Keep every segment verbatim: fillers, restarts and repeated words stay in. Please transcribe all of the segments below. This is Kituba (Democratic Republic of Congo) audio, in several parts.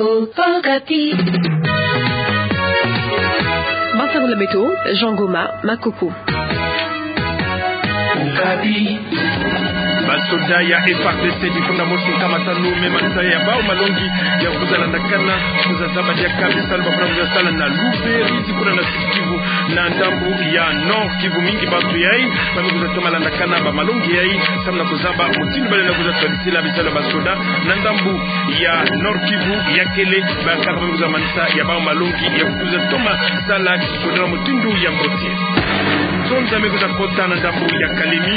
Okapi. Masango na beto, Jean Goma Makuku. Okapi. Basoda ya F A R D C difunda mosi nkama tanu me manisa ya bau malongi ya kuzalandakana, kuzazaba diaka bisalu ba fwana kuzasala na Luberizi kuna na Sud-Kivu na ndambu ya Nord-Kivu. Mingi bantu yayi ba me kuzatoma landakana ba malongi yayi samu na kuzaba mutindu ba lenda kuzatwadisila bisalu ya basoda na ndambu ya Nord-Kivu ya kele, bankaka ba me kuzamanisa ya bau malongi ya kuzatoma sala kisoda na mutindu ya mbote. Nzonza me kuzakota na ndambu ya Kalemi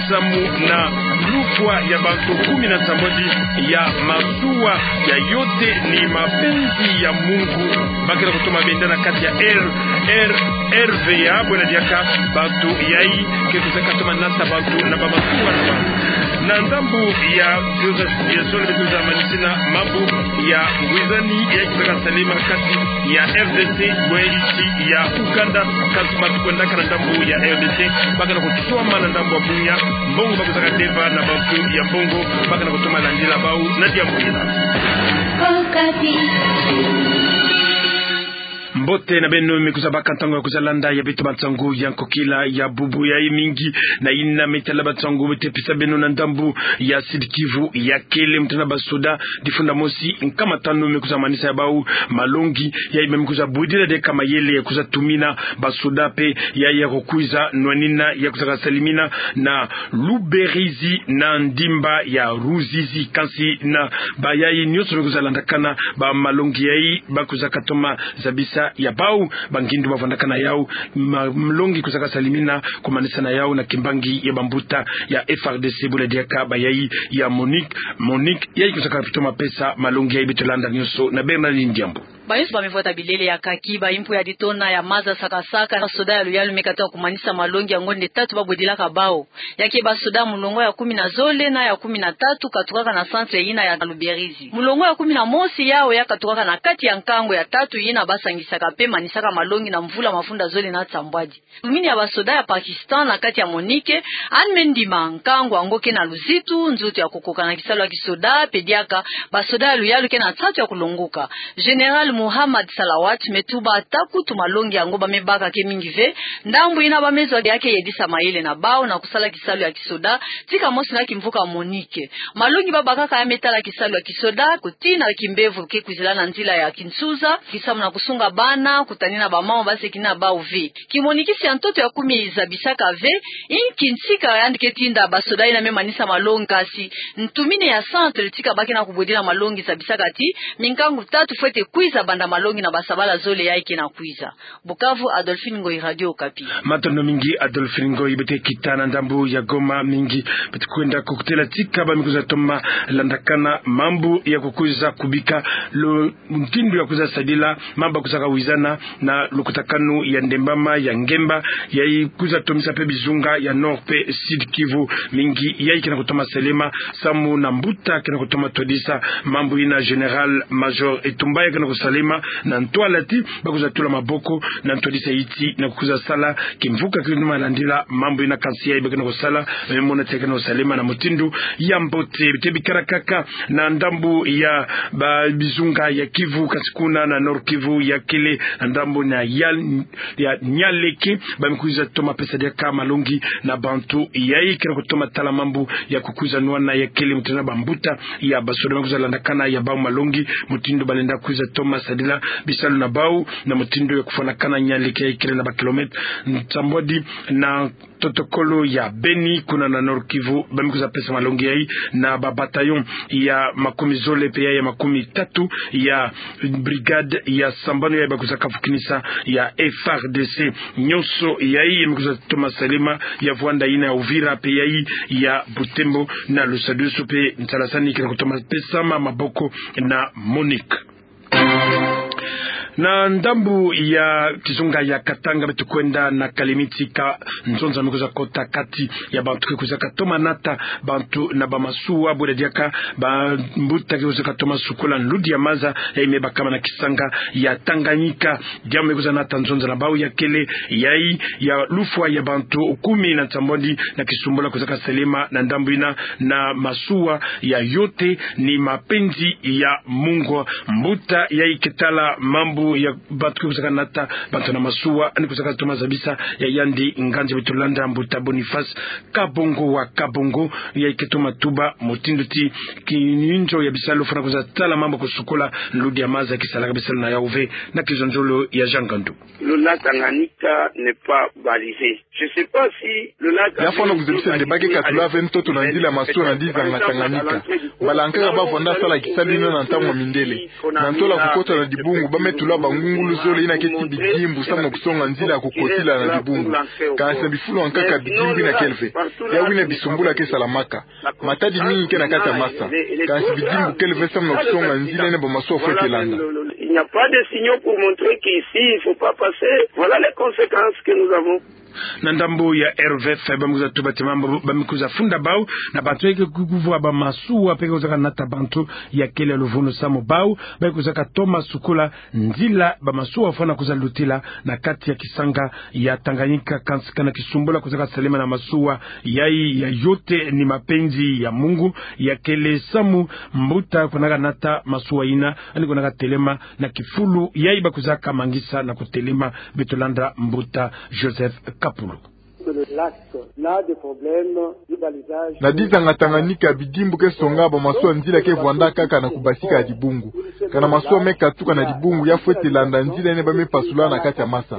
samu na lukwa ya bantu kumi na nsambwadi ya masuwa ya Yote ni Mapenzi ya Mungu. Ba ke na kutoma benda na kati ya R, R, R V A, bwena diaka bantu yayi ke kuzakatoma nasa bantu na ba masuwa na ba. Na ndambu ya, ya zole beto kuzamanisina mambu ya ngwizani ya kuzaka salema kati ya R D C bwe isi ya Ouganda. Kansi matu kwendaka na ndambu ya R D C, ba ke na kutoma na ndambu ya Bunia, mbongo ba kuzaka deva na bantu ya mbongo, ba ke na kutoma landila bau na diambu ina. Mbote na beno me kuzabaka ntangu ya kuzalanda ya beto bansangu ya nkokila ya bubu yayi. Mingi na yina me tala bansangu beto pesa beno na ndambu ya Sud-Kivu ya kele, mutindu basoda difunda mosi nkama tanu me kuzamanisa ya bau malongi yayi, me kuzabudila diaka mayele ya kuzatumina basoda pe yayi ya kukwiza nwanina ya kuzaka salimina na Luberizi na ndimba ya Ruzizi. Kansi na bayayi nyonso me kuzalandakana ba malongi yayi ba kuzakatoma zabisa ya bau bangindu ba vandakana yau ma-, malongi kuzaka salimina kumanisa na yau na kimbangi ya bambuta ya F A R D C, bula diaka bayayi ya MONUC, MONUC yayi kuzakatoma pesa malongi yayi. Beto landa nyonso na Bernard Ndiambu. Ba nyonso ba me vwata bilele ya kaki, ba impu ya ditona ya maza sakasaka, basoda ya luyalu me katuka kumanisa malongi ya ngonde tatu ba bwedilaka bau. Ya ke basoda mulongo ya kumi na zole na ya kumi na tatu katukaka na centre yina ya Luberizi. Mulongo ya kumi na mosi yau ya katukaka na kati ya nkangu ya tatu yina ba sangisaka pe manisaka malongi na mvula mafunda zole na nsambwadi. Ntumini ya basoda ya Pakistan na kati ya MONUC, ane me ndima nkangu yango ke na luzitu, nzoto ya kukoka na kisalu ya kisoda, pe diaka basoda ya luyalu ke na nsatu ya kulongoka. Général Muhammad Salawat me tuba ata kutu malongi yango ba me baka ke mingi ve, ndambu yina ba me zwa ya ke yedisa mayele na bau na kusala kisalu ya kisoda, tika mosi na kimvuka MONUC. Malongi ba bakaka ya me tala kisalu ya kisoda, kutina kimbevo ke kwizila na nzila ya kinsuza, kisamu na kusunga bana, kutanina ba mama ba sekina bau ve. Kimonikisi ya ntoto ya kumi zabisaka ve inki ntika yandi ke tinda basoda yina me manisa malongi, kansi ntumini ya centre tika ba ke na kubwedila malongi zabisaka ti minkangu tatu fwete kwiza banda malongi na basabala zole yayi ke na kwiza. Bukavu, Adolphine Ngoyi, Radio Okapi. Matondo mingi Adolphine Ngoyi. Beto kita na ndambu ya Goma. Mingi beto kwenda kukutela tika ba me kuzatoma landakana mambu ya kukwiza kubika lo mutindu ya kwiza sadila mambu ya kuzaka wizana na lukutakanu ya Ndembama ya Ngemba, yayi kwiza tomisa pe bizunga ya Nord pe Sud-Kivu. Mingi yayi ke na kutoma salema samu na mbuta ke na kutoma twadisa mambu yina, Général-Major Etumba, yayi ke na kusalema na ntwala ti ba kwiza tula maboko na ntwadisa yiti na kukwiza sala kimvuka ke na landila mambu yina, kansi yayi ba ke na kusala, me mona ti ke na kusalema na mutindu ya mbote. Beto bikala kaka na ndambu ya ba bizunga ya Kivu, kansi kuna na Nord-Kivu ya kele, na ndambu na ya, ya Nialeke, ba me kwiza toma pesa diaka malongi na bantu yayi ke na kutoma tala mambu ya kukwiza nwana ya kele, mutindu na bambuta ya basoda me kwiza landakana ya bau malongi mutindu ba lenda kwiza toma sadila bisalu na bau, na mutindu ya kufwanakana Nialeke yayi kele na ba kilomètre nsambwadi na totokolo ya Beni, kuna na Nord-Kivu, ba me kwiza pesa malongi yayi na ba bataillon ya makumi zole pe ya, ya makumi tatu ya brigade ya sambanu yayi ba kwiza kafukinisa ya F A R D C. Nyonso yayi ya me kwiza toma salema ya vwanda yina ya Uvira pe yayi ya Butembo na Lusadisu pe Nsalasani ke na kutoma pesama maboko na MONUC. Na ndambu ya kizunga ya Katanga, beto kwenda na Kalemie tika nzonza me kwiza kota kati ya bantu ke kwizaka toma nata bantu na bamasuwa, bwela diaka bambuta ke kwizaka toma sukola nludi ya maza yayi me bakama na kisanga ya Tanganyika. Diambu me kwiza nata nzonza na bau ya kele yayi ya lufwa ya bantu kumi na nsambwadi na kisumbula kwizaka selema na ndambu yina na masuwa ya Yote ni Mapenzi ya Mungu. Mbuta yayi ke tala mambu ya bantu ke kwizaka nata bantu na masuwa, yandi kwizaka toma zabisa ya yandi nganzi, beto landa mbuta Boniface Kabongo wa Kabongo, yayi ke toma tuba mutindu ti kininzo ya bisalu fwana kwiza tala mambu kusukola nludi ya maza ke salaka bisalu na yawu ve na kizonzolo ya Jean Ngandu. Le lac Tanganyika n'est pas balisé. Je sais pas si le lac... Ya fwana kuzebisa nde ba ke katula ve ntoto na nzila ya masuwa na dizanga Tanganyika. Mbala nkaka ba vwanda sala kisalu yina na ntangu ya mindele. Na ntola kukota na dibungu, ba me tula bangungulu zole yina ke ti bidimbu samu na kusonga nzila ya kukotila na dibungu. Kansi na bifulu ya nkaka bidimbu yina kele ve. Yawu yina bisumbula ke salamaka. Matadi mingi ke na kati ya masa. Kansi bidimbu kele ve samu na kusonga nzila yina bamasuwa fwete landa. Il n'y a pas de signaux pour montrer qu'ici, il faut pas passer. Voilà les conséquences que nous avons. Na ndambu ya R V F, ba me kwiza tuba ti mambu ba me kwiza funda bau na bantu yayi ke kuvwa bamasuwa mpe ke kwizaka nata bantu ya kele luvunu samu bau ba ke kwizaka toma sukola nzila bamasuwa fwana kwiza lutila na kati ya kisanga ya Tanganyika, kansi kana kisumbula kwizaka selema na masuwa yayi ya Yote ni Mapenzi ya Mungu ya kele samu mbuta kwenaka nata masuwa yina, yandi kwenaka telema na kifulu yayi ba kwizaka mangisa na kutelema. Beto landa mbuta Joseph Kapulu. Na dizanga Tanganyika, bidimbu ke songa bamasuwa nzila ke vwanda kaka na kubasika ya dibungu. Kana masuwa me katuka na dibungu, ya fwete landa nzila yina ba me pasula na kati ya masa.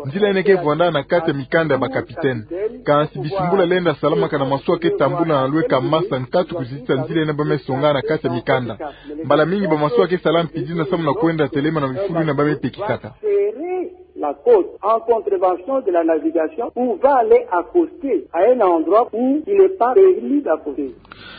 Nzila yina ke vwanda na kati ya mikanda ya bakapitene. Kansi bisumbula lenda salama kana masuwa ke tambula na lweka masa nkatu kuzitisa nzila yina ba me songa na kati ya mikanda. Mbala mingi bamasuwa ke sala mpidina samu na kwenda telema na bifulu yina ba me pekisaka. La côte en contravention de la navigation ou va aller accoster à un endroit où il n'est pas permis d'accoster.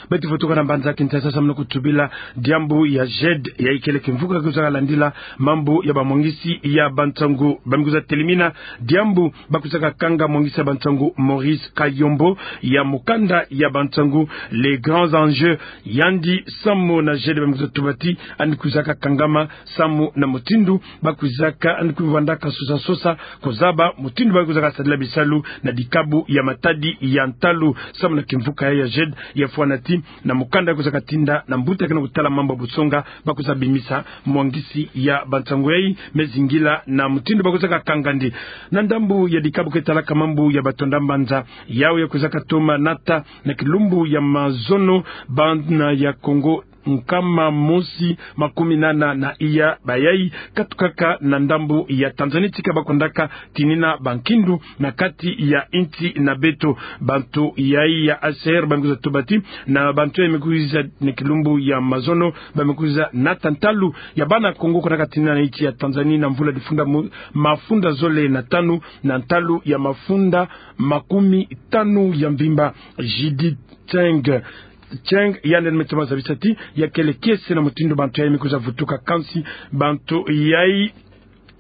Beto vutuka na mbanza Kinshasa samu na kutubila diambu ya GED, yayi kele kimvuka ke kwizaka landila mambu ya bamwangisi ya bansangu. Ba me kwiza telimina diambu ba kwizaka kanga mwangisi ya bansangu Maurice Kayombo ya mukanda ya bansangu Les Grands Enjeux. Yandi samu na GED ba me kwiza tuba ti yandi kwizaka kangama samu na mutindu ba kwizaka, yandi kwiza vwandaka sosa sosa kuzaba mutindu ba kwizaka sadila bisalu na dikabu ya matadi ya ntalu. Samu na kimvuka ya GED, ya fwana ti na mukanda ya kwizaka tinda na mbuta ke na kutala mambu ya busonga, ba kwiza bimisa mwangisi ya bansangu yayi me zingila na mutindu ba kwizaka kangandi. Na ndambu ya dikabu ke talaka mambu ya batonda mbanza, yawu ya kwizaka toma nata na kilumbu ya mazono bana ya Kongo nkama mosi makumi nana na iya, bayayi katukaka na ndambu ya Tanzanie tika ba kwendaka tinina bankindu na kati ya insi na beto. Bantu yayi ya H C R ba me kwiza tuba ti na bantu yayi me kwiza na kilumbu ya mazono ba me kwiza nata ntalu ya bana Kongo kwendaka tinina na insi ya Tanzanie na mvula difunda mu-, mafunda zole na tanu na ntalu ya mafunda makumi tanu ya mvimba. Judith Cheng. Cheng, yandi me toma zabisa ti ya kele kiese na mutindu bantu yayi me kwiza vutuka, kansi bantu yayi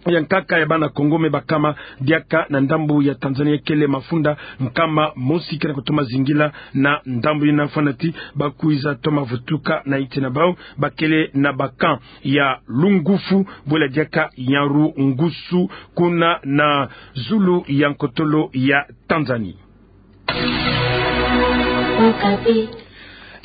ya nkaka ya bana Kongo me bakama diaka na ndambu ya Tanzanie kele mafunda nkama mosi ke na kutoma zingila na ndambu yina, fwana ti ba kwiza toma vutuka na insi na bau, ba kele na ba camp ya Lungufu, bwela diaka Nyarugusu, kuna na zulu ya nkotolo ya Tanzanie.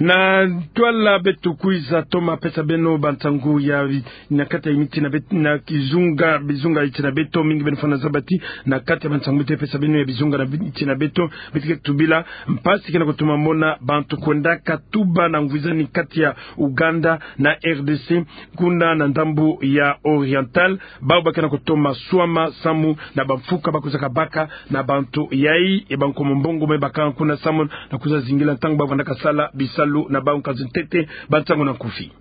Na ntwala beto kwiza toma pesa beno bansangu ya na kati ya insi na bet-, na kizunga, bizunga insi na beto, mingi beno fwana zaba ti na kati ya bansangu beto pesa beno ya bizunga na bi-, insi na beto, beto ke tubila mpasi ke na kutoma mona bantu kwendaka tuba na ngwizani kati ya Ouganda na R D C, kuna na ndambu ya Oriental, bau ba ke na kutoma swama samu na bamfuka ba kwizaka baka na bantu yayi, e bankomo mbongo me bakanga kuna samu na kwiza zingila ntangu ba vwandaka sala bisalu na bau. Nkanzi ntete, bansangu na nkufi.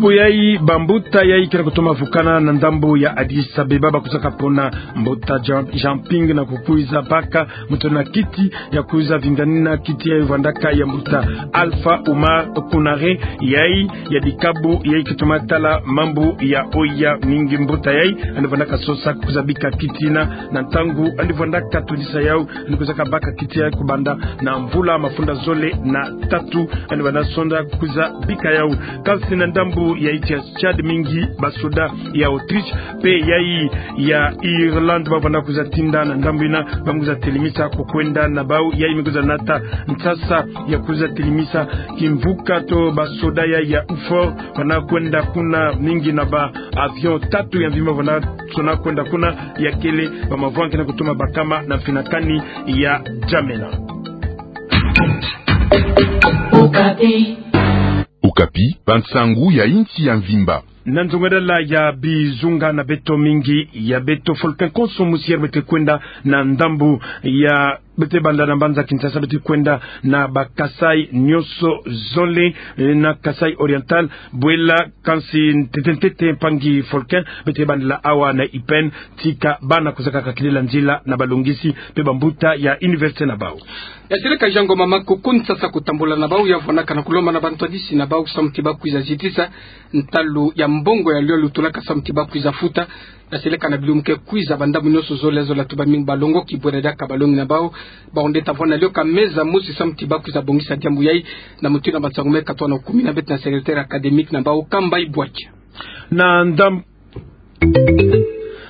Mpo yayi bambuta yayi ke na kutoma vukana na ndambu ya Addis Abeba, bakwizaka pona mbuta jump-, jumping na kukwiza baka muntu na kiti ya kwiza vinganina kiti yayi vandaka ya mbuta Alpha Oumar Konaré, yayi ya dikabu yayi ke toma tala mambu ya oya mingi. Mbuta yayi yandi vandaka sosa kwiza bika kiti yina, na ntangu yandi vandaka todisa yawu, yandi kwizaka baka kiti yayi kubanda na mvula mafunda zole na tatu, yandi vanda sonda kwiza bika yawu. Kansi na ndambu ya insi ya Tchad, mingi basoda ya Autriche mpe yayi ya Irlande bavanda kwiza tinda na ndambu yina, ba me kwiza telemisa kukwenda na bawu. Yayi me kwiza nata nsasa ya kwiza telemisa kimvuka to basoda yayi ya U four, vanda kwenda kuna mingi na ba avion tatu ya mvimba vanda sona kwenda kuna, ya kele bamavwanga ke na kutoma bakama na mfinakani ya Djamena. Okapi. Okapi, bansangu ya insi ya mvimba. Na nzongadala ya bizunga na beto, mingi ya beto, Volcan Konso Musier bete kwenda na ndambu ya, bete banda na mbanza Kinshasa, bete kwenda na ba Kasaï nyonso zole, eh, na Kasaï Oriental, bwela kansi ntete ntete mpangi Volcan, bete bandela awa na Ipène, tika bana kwizaka kakilila nzila na balongisi mpe bambuta ya université na bawu. Ya seleka Jean Ngoma Makoko, nsasa kutambula na bawu ya vwanaka na kulomba na bantwadisi na bawu samu ti bakwiza zitisa ntalu ya mbongo ya lwialu tulaka samu ti bakwiza futa. Ya seleka na bilumbu ke kwiza, bandambu nyonso zole zole, tuba mingi balongoki bwena diaka balongi na bawu. Bawu nde ta vwanda na lioka meza mosi samu ti bakwiza bongisa diambu yayi. Na muti na bansangu me katwa na kumina beto na secrétaire académique na bawu, Kamba Ibwaki. Na ndam-,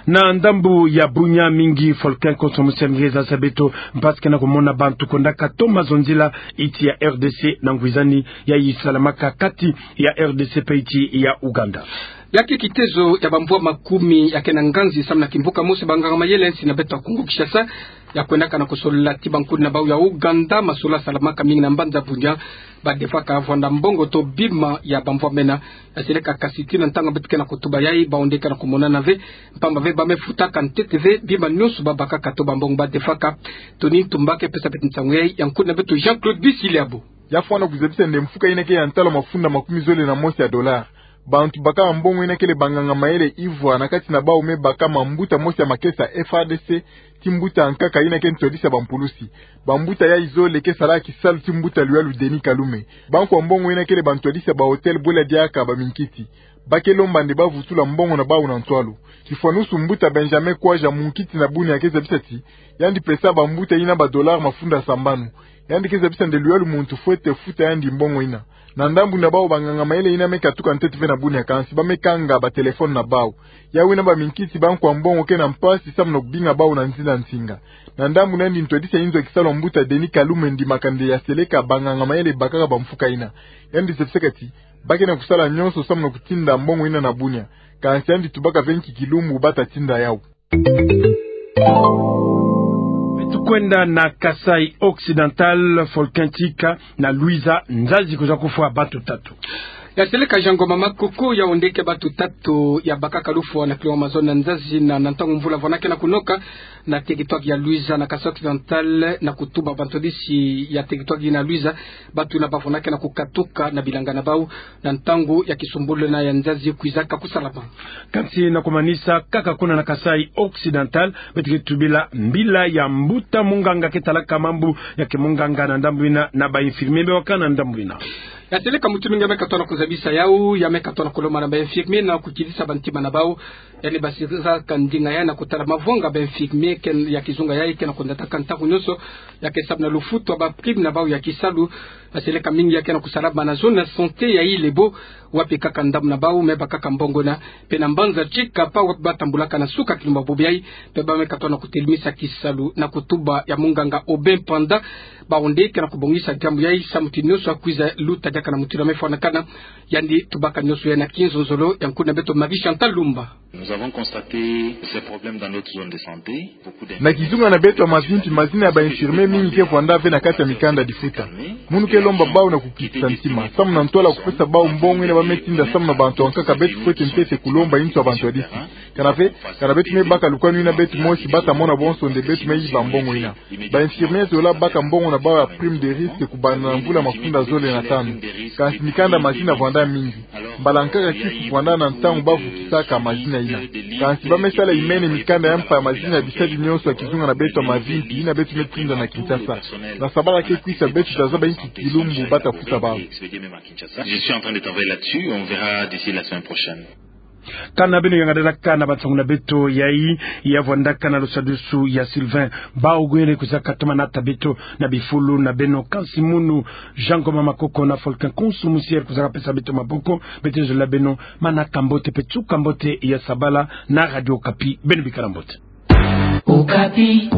na ndambu ya Bunia, mingi Volcan Konso Musier nge zasa beto mpasi ke na kumona bantu kwendaka toma zonzila insi ya R D C na ngwizani yayi salamaka kati ya R D C mpe insi ya Ouganda. Ya ke kitezo ya bamvwa makumi ya ke na nganzi samu na kimvuka mosi, banganga mayele ya insi na beto ya Kongo Kinshasa ya kwendaka na kusolola ti bankudi na bawu ya Ouganda masolo salamaka mingi na mbanza Bunia, ba defaka vwanda mbongo to bima ya bamvwa mena. Ya seleka kansi tii na ntangu beto ke na kutuba yayi, bawu nde ke na kumonana ve, mpamba ve ba me futaka ntete ve bima nyonso ba bakaka to bambongo ba defaka. Tony Ntumba ke pesa beto nsangu yayi, ya nkudi na beto Jean-Claude Bisiliabo. Ya fwana kuzabisa nde mfuka yina ke ya ntalu mafunda makumi zole na mosi ya dollar. Bantu baka mbongo yina kele banganga mayele ivwa, na kati na bawu me baka mambuta mosi ya makesa F A R D C, ti mbuta nkaka yina ke ntwadisi ya bampulusi. Bambuta yayi zole ke sala kisalu ti mbuta lwialu Denis Kalume. Bankwa mbongo yina kele bantwadisi ya ba hôtel bwela diaka baminkiti. Ba ke lomba nde ba vutula mbongo na bawu na ntwalu. Kifwanusu mbuta Benjamin Kwaja, munkiti na Bunia, ke zabisa ti yandi pesa bambuta yina ba dollar mafunda sambanu. Yandi ke zabisa nde lwialu muntu fwete futa yandi mbongo yina. Na ndambu na bawu, banganga mayele yina me katuka ntete ve na Bunia, kansi ba me kanga batelefone na bawu. Yawu yina baminkiti, bankwa mbongo ke na mpasi samu na kubinga bawu na nzila nsinga. Na ndambu na yandi, ntwadisi ya inzo ya kisalu ya mbuta Denis Kalume andimaka nde ya seleka banganga mayele bakaka bamfuka yina. Yandi zabisaka ti ba ke na kusala nyonso samu na kutinda mbongo yina na Bunia. Kansi yandi tubaka ve nki kilumbu ba ta tinda yawu. Beto kwenda na Kasaï Occidental, Volcan, tika na Luiza nzazi kwiza kufwa bantu tatu. Ya seleka Jean Ngoma Makoko, yawu nde ke bantu tatu ya bakaka lufwa na kilomètre zole na nzazi na, na ntangu mvula vwanda ke na kunoka na territoire ya Luiza na Kasaï Occidental, na kutuba bantwadisi ya territoire yina Luiza, bantu yina ba vwanda ke na kukatuka na bilanga na bawu na ntangu ya kisumbulu yina ya nzazi kwizaka kusalama. Kansi na kumanisa kaka kuna na Kasaï Occidental, beto ke tubila mbila ya mbuta munganga ke talaka mambu ya kimunganga na ndambu yina, na ba infirmier mpe waka na ndambu yina. Ya seleka mutu mingi ya me katwa na kuzabisa yawu, ya me katwa na kulomba na ba infirmier na kukitisa bantima na bawu. Yandi basisaka ndinga yayi na kutala mavwanga ba infirmier ke, ya kizunga yayi ke na kundataka ntaku nyonso, ya ke samu na lufutu ya ba prime na bawu ya kisalu. Ya seleka mingi ya ke na kusalama na zone ya santé ya Ile-Ebo, wapi kaka ndambu na bawu me bakaka mbongo yina. Mpe na mbanza Tshikapa, wapi ba tambulaka na suka kilumbu bobo yayi, mpe ba me katwa na kutelemisa kisalu na kutuba ya munganga Aubin Panda. Bawu nde ke na kubongisa diambu yayi samu ti nyonso ya kwiza luta diaka na mutindu ya me fwanakana. Yandi tubaka nyonso yayi na kinzonzolo ya nkudi na beto Marie Chantal Lumba. Nous avons constaté ces problèmes dans notre zone de santé. Beaucoup d'infirmiers. Na kizunga na beto ya mavimpi, mazina ya ba infirmier mingi ke vwanda ve na kati ya mikanda difuta. Munu ke lomba bawu na kukitisa ntima samu na ntwala ya kupesa bawu mbongo yina ba me tinda samu na bantu ya nkaka. Beto fwete ntete kulomba inzo ya bantwadisi. Kana ve, kana beto me baka lukanu yina beto mosi, ba ta mona bonso nde beto me yiba mbongo yina. Ba infirmier zola baka mbongo na bawu ya prime de risque kubanda na mvula mafunda zole na tanu. Kansi mikanda mazina vwanda mingi. Mbala nkaka kisi kwanda na ntangu bavukisaka mazina yina. Kansi ba me sala imene mikanda ya mpa ya mazina ya bisadi nyonso ya kizunga na beto ya mavimpi yina beto me tinda na Kinshasa. Na sabala ke kwisa beto ta zaba inki kilumbu ba ta futa bawu. Je suis en train de travailler là-dessus, on verra d'ici la semaine prochaine. Kana beno yangada na kana ba nsangu na beto yayi, ya vwandaka na lusadisu ya Sylvain Baogo, yele kwiza katoma nata beto na bifulu na beno. Kansi munu Jean Ngoma Makoko na Faulcon Konsu Musier kwiza kapesa beto maboko. Beto zola beno manaka mbote pe tuka mbote ya sabala na Radio Okapi. Beno bikala mbote. Okapi.